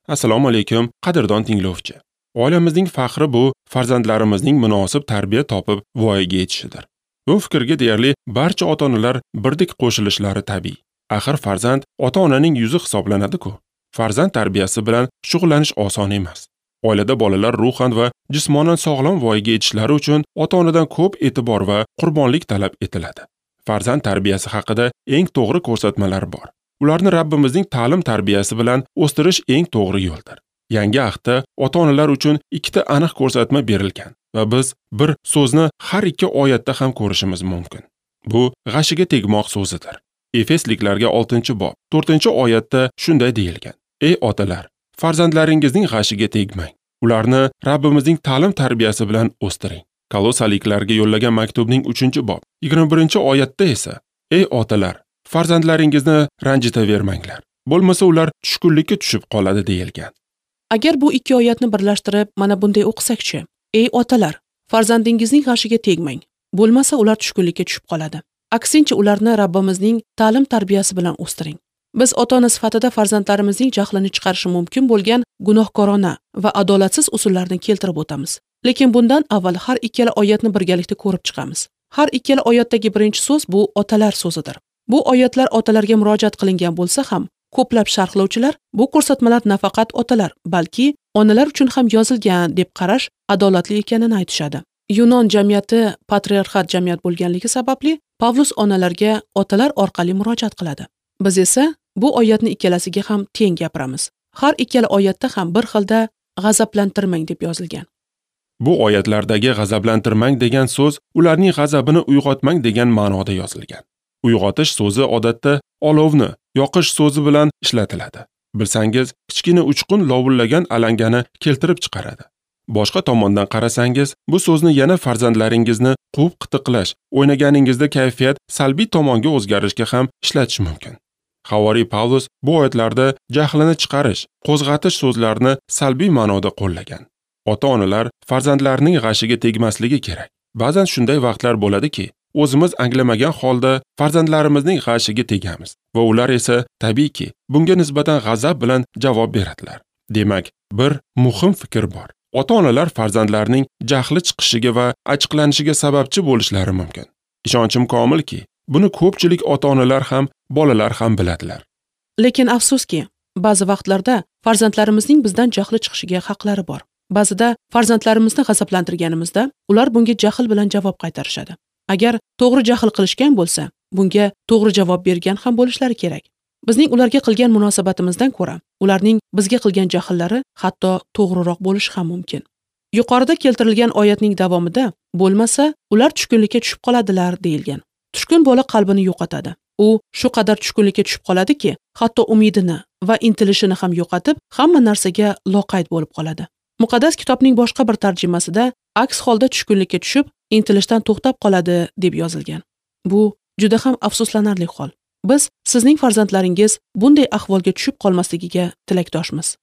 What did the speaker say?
Assalomu alaykum, qadrdon tinglovchi. Oilamizning faxri bu farzandlarimizning munosib tarbiya topib voyaga yetishidir. Bu fikrga deyarli barcha ota-onalar birdek qo'shilishlari tabiiy. Axir farzand ota-onaning yuzi hisoblanadi-ku. Farzand tarbiyasi bilan shug'ullanish oson emas. Oilada bolalar ruhan va jismonan sog'lom voyaga yetishlari uchun ota-onadan ko'p e'tibor va qurbonlik talab etiladi. Farzand tarbiyasi haqida eng to'g'ri ko'rsatmalar bor. Ularni Rabbimizning ta'lim tarbiyasi bilan o'stirish eng to'g'ri yo'ldir. Yangi ahdda ota-onalar uchun ikkita aniq ko'rsatma berilgan va biz bir so'zni har ikki oyatda ham ko'rishimiz mumkin. Bu g'ashiga tegmoq so'zidir. Efesliklarga 6-bob 4-oyatda shunday deyilgan: Ey otalar, farzandlaringizning g'ashiga tegmang. Ularni Rabbimizning ta'lim tarbiyasi bilan o'stiring. Kolosaliklarga yo'llagan maktubning 3-bob 21-oyatda esa: Ey otalar, farzandlaringizni ranjitavermanglar. Bo'lmasa ular tushkunlikka tushib qoladi deyilgan. Agar bu ikki oyatni birlashtirib mana bunday o'qisakchi: Ey otalar, farzandingizning g'ashiga tegmang. Bo'lmasa ular tushkunlikka tushib qoladi. Aksincha ularni Rabbimizning ta'lim tarbiyasi bilan o'stiring. Biz ota-ona sifatida farzandlarimizning jahlini chiqarishi mumkin bo'lgan gunohkorona va adolatsiz usullarni keltirib o'tamiz. Lekin bundan avval har ikkala oyatni birgalikda ko'rib chiqamiz. Har ikkala oyatdagi birinchi so'z bu otalar so'zidir. Bu oyatlar otalarga murojaat qilingan bo'lsa ham, ko'plab sharhlovchilar bu ko'rsatmalar nafaqat otalar, balki onalar uchun ham yozilgan deb qarash adolatli ekanini aytishadi. Yunon jamiyati patriarxat jamiyat bo'lganligi sababli Pavlus onalarga otalar orqali murojaat qiladi. Biz esa bu oyatni ikkalasiga ham teng gapiramiz. Har ikkala oyatda ham bir xilda g'azablantirmang deb yozilgan. Bu oyatlardagi g'azablantirmang degan so'z ularning g'azabini uyg'otmang degan ma'noda yozilgan. Uyg'otish so'zi odatda olovni yoqish so'zi bilan ishlatiladi. Bilsangiz, kichkina uchqun lovullagan alangani keltirib chiqaradi. Boshqa tomondan qarasangiz, bu so'zni yana farzandlaringizni quvib qitiqlash, o'ynaganingizda kayfiyat salbiy tomonga o'zgarishga ham ishlatish mumkin. Havoriy Pavlus bu oyatlarda jahlini chiqarish, qo'zg'atish so'zlarini salbiy ma'noda qo'llagan. Ota-onalar farzandlarining g'ashiga tegmasligi kerak. Ba'zan shunday vaqtlar bo'ladiki, o'zimiz anglamagan holda farzandlarimizning g'ashiga tegamiz va ular esa tabiiyki bunga nisbatan g'azab bilan javob beradilar. Demak, bir muhim fikr bor. Ota-onalar farzandlarining jahli chiqishiga va achchiqlanishiga sababchi bo'lishlari mumkin. Ishonchim komilki, buni ko'pchilik ota-onalar ham, bolalar ham biladilar. Lekin afsuski, ba'zi vaqtlarda farzandlarimizning bizdan jahli chiqishiga haqlari bor. Ba'zida farzandlarimizni g'azablantirganimizda ular bunga jahl bilan javob qaytarishadi. Agar to'g'ri jahl qilishgan bo'lsa, bunga to'g'ri javob bergan ham bo'lishlari kerak. Bizning ularga qilgan munosabatimizdan ko'ra, ularning bizga qilgan jahllari hatto to'g'riroq bo'lishi ham mumkin. Yuqorida keltirilgan oyatning davomida bo'lmasa, ular tushkunlikka tushib qoladilar deyilgan. Tushkun bola qalbini yo'qotadi. U shu qadar tushkunlikka tushib qoladiki, hatto umidini va intilishini ham yo'qotib, hamma narsaga loqayd bo'lib qoladi. Muqaddas kitobning boshqa bir tarjimasida aks holda tushkunlikka tushib, intilishdan to'xtab qoladi deb yozilgan. Bu juda ham afsuslanarli hol. Biz sizning farzandlaringiz bunday ahvolga tushib qolmasligiga tilakdoshmiz.